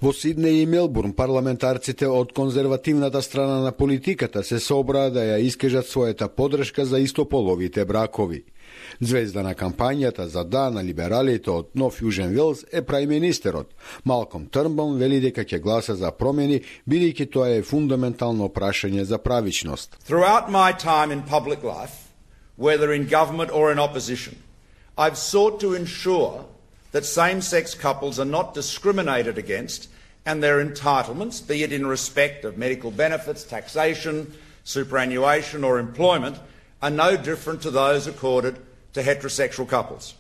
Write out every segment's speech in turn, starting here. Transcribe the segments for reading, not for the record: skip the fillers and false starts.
Во Сиднеј и Мелбурн парламентарците од конзервативната страна на политиката се собраа да ја искажат својата поддршка за истополовите бракови. Звезда на кампањата за да на либералите од Нов Јужен Велс е прајминистерот. Малком Трнбаун вели дека ќе гласа за промени, бидејќи тоа е фундаментално прашање за правичност. Throughout my time in public life, whether in government or in opposition, I've sought to ensure that same-sex couples are not discriminated against and their entitlements, be it in respect of medical benefits, taxation, superannuation or employment, are no different to those accorded to heterosexual couples.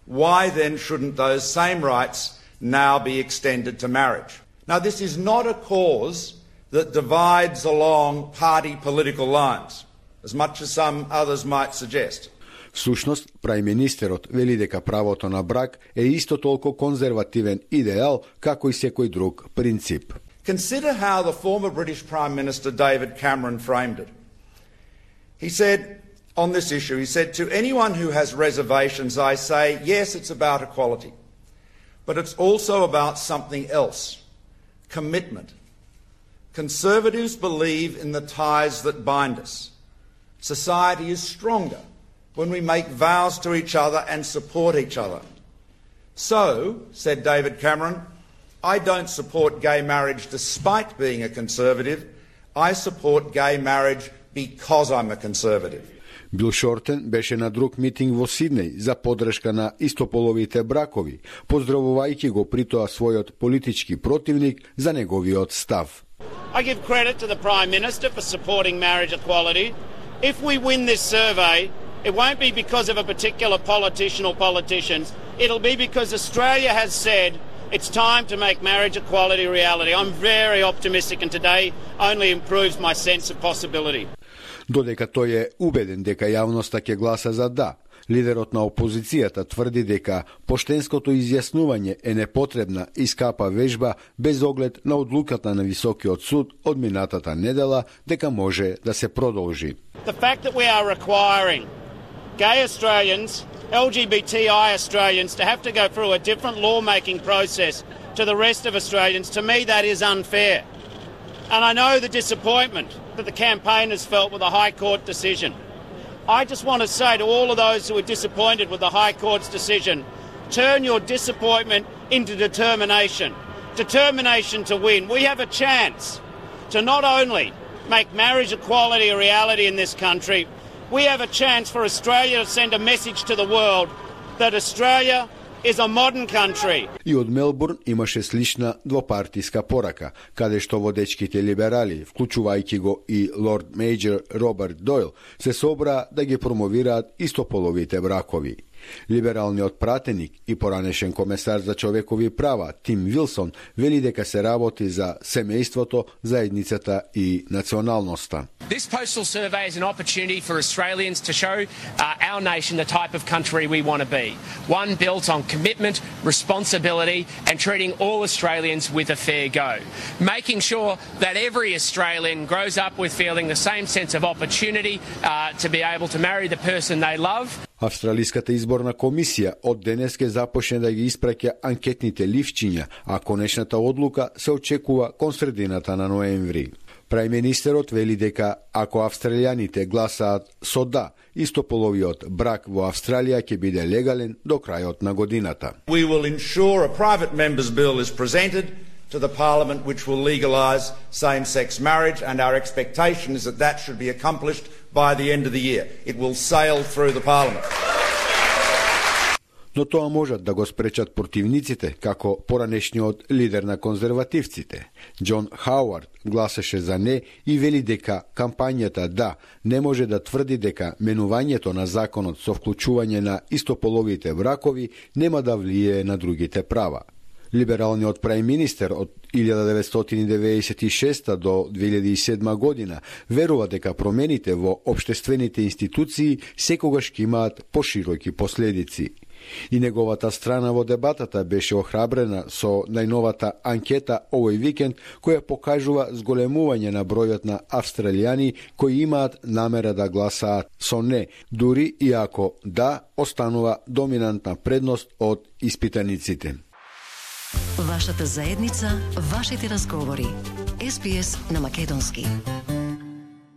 Why then shouldn't those same rights now be extended to marriage? Now, this is not a cause that divides along party political lines, as much as some others might suggest. Всушност, прајминистерот вели дека правото на брак е исто толку конзервативен идеал како и секој друг принцип. Consider how the former British Prime Minister David Cameron framed it. He said on this issue, he said, "To anyone who has reservations, I say, yes, it's about equality, but it's also about something else, commitment. Conservatives believe in the ties that bind us. Society is stronger when we make vows to each other and support each other. So, said David Cameron, I don't support gay marriage despite being a conservative. I support gay marriage because I'm a conservative." Бил Шортен беше на друг митинг во Сиднеј за поддршка на истополовите бракови, поздравувајќи го при тоа својот политички противник за неговиот став. I give credit to the Prime Minister for supporting marriage equality. If we win this survey, it won't be because of a particular politician or politicians. It'll be because Australia has said it's time to make marriage equality a reality. I'm very optimistic and today only improves my sense of possibility. Додека тој е убеден дека јавноста ќе гласа за да, лидерот на опозицијата тврди дека поштенското изјаснување е непотребна и скапа вежба без оглед на одлуката на Високиот суд од минатата недела дека може да се продолжи. The fact that we are requiring gay Australians, LGBTI Australians to have to go through a different lawmaking process to the rest of Australians, to me that is unfair. And I know the disappointment that the campaigners felt with the High Court decision. I just want to say to all of those who are disappointed with the High Court's decision, turn your disappointment into determination. Determination to win. We have a chance to not only make marriage equality a reality in this country, we have a chance for Australia to send a message to the world that Australia is a modern country. И од Мелбурн имаше слична двопартиска порака, каде што водечките либерали, вклучувајќи го и лорд мејор Роберт Дойл, се собраа да ги промовираат истополовите бракови. Либералниот пратеник и поранешен комесар за човекови права Тим Вилсон вели дека се работи за семејството, заедницата и националноста. This postal survey is an opportunity for Australians to show our nation the type of country we want to be. One built on commitment, responsibility and treating all Australians with a fair go. Making sure that every Australian grows up with feeling the same sense of opportunity to be able to marry the person they love. Австралиската изборна комисија од денес ќе започне да ги испраќа анкетните ливчиња, а конечната одлука се очекува кон средината на ноември. Прајминистерот вели дека ако австралијаните гласаат со да, истополовиот брак во Австралија ќе биде легален до крајот на годината. We will ensure a private member's bill is presented to the Parliament which will legalise same-sex marriage, and our expectation is that that should be accomplished by the end of the year. It will sail through the Parliament. Но тоа можат да го спречат противниците, како поранешниот лидер на конзервативците. Џон Хауард гласаше за не и вели дека кампањата да не може да тврди дека менувањето на законот со вклучување на истополовите бракови нема да влијае на другите права. Либералниот прајминистер од 1996 до 2007 година верува дека промените во општествените институции секогаш ќе имаат пошироки последици. И неговата страна во дебатата беше охрабрена со најновата анкета овој викенд, која покажува зголемување на бројот на австралијани кои имаат намера да гласаат со не, дури и ако да останува доминантна предност од испитаниците. Вашата заедница, вашите разговори. SBS на македонски.